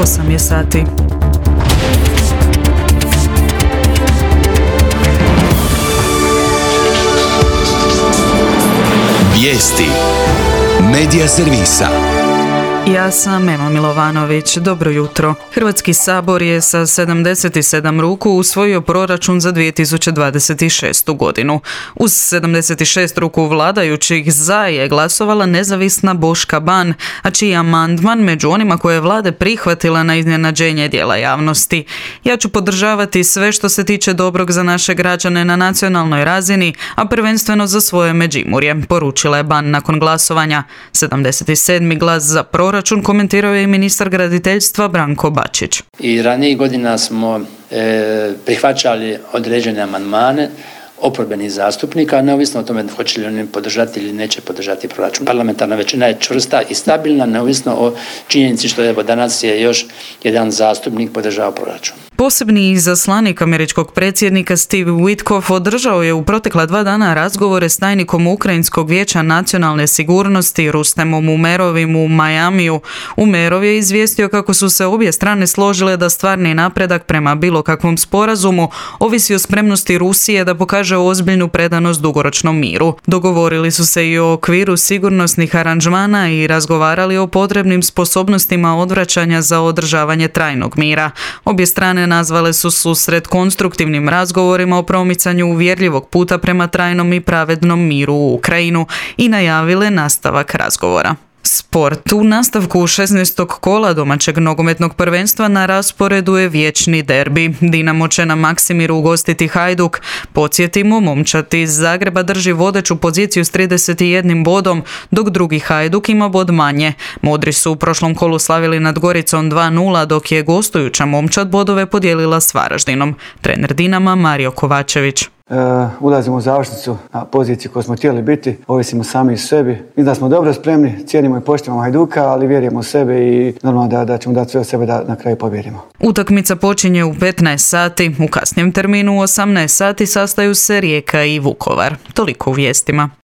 8 je sati. Vijesti Medija servisa. Ja sam Ema Milovanović. Dobro jutro. Hrvatski sabor je sa 77 ruku usvojio proračun za 2026. godinu. Uz 76 ruku vladajućih za je glasovala nezavisna Boška Ban, a čiji amandman među onima koje je vlade prihvatila na iznenađenje dijela javnosti. Ja ću podržavati sve što se tiče dobrog za naše građane na nacionalnoj razini, a prvenstveno za svoje Međimurje, poručila je Ban nakon glasovanja. 77. glas za proračun komentirao je i ministar graditeljstva Branko Bačić. I ranijih godina smo prihvaćali određene amandmane oporbenih zastupnika, neovisno o tome hoće li oni podržati ili neće podržati proračun. Parlamentarna većina je čvrsta i stabilna, neovisno o činjenici što evo danas je još jedan zastupnik podržao proračun. Posebni izaslanik američkog predsjednika Steve Witkoff održao je u protekla 2 dana razgovore s tajnikom Ukrajinskog vijeća nacionalne sigurnosti Rustemom Umerovim u Majamiju. Umerov je izvijestio kako su se obje strane složile da stvarni napredak prema bilo kakvom sporazumu ovisi o spremnosti Rusije da pokaže ozbiljnu predanost dugoročnom miru. Dogovorili su se i o okviru sigurnosnih aranžmana i razgovarali o potrebnim sposobnostima odvraćanja za održavanje trajnog mira. Obje strane nazvale su susret konstruktivnim razgovorima o promicanju uvjerljivog puta prema trajnom i pravednom miru u Ukrajinu i najavile nastavak razgovora. Sport. U nastavku 16. kola domaćeg nogometnog prvenstva na rasporedu je vječni derbi. Dinamo će na Maksimiru ugostiti Hajduk. Podsjetimo, momčad iz Zagreba drži vodeću poziciju s 31 bodom, dok drugi Hajduk ima bod manje. Modri su u prošlom kolu slavili nad Goricom 2:0, dok je gostujuća momčad bodove podijelila s Varaždinom. Trener Dinama Mario Kovačević. Ulazimo u završnicu na poziciji koju smo htjeli biti, ovisimo sami iz sebi. Mislim da smo dobro spremni, cijenimo i poštujemo Hajduka, ali vjerujemo u sebe i normalno da ćemo dati sve od sebe da na kraju pobijedimo. Utakmica počinje u 15 sati, u kasnijem terminu u 18 sati sastaju se Rijeka i Vukovar. Toliko u vijestima.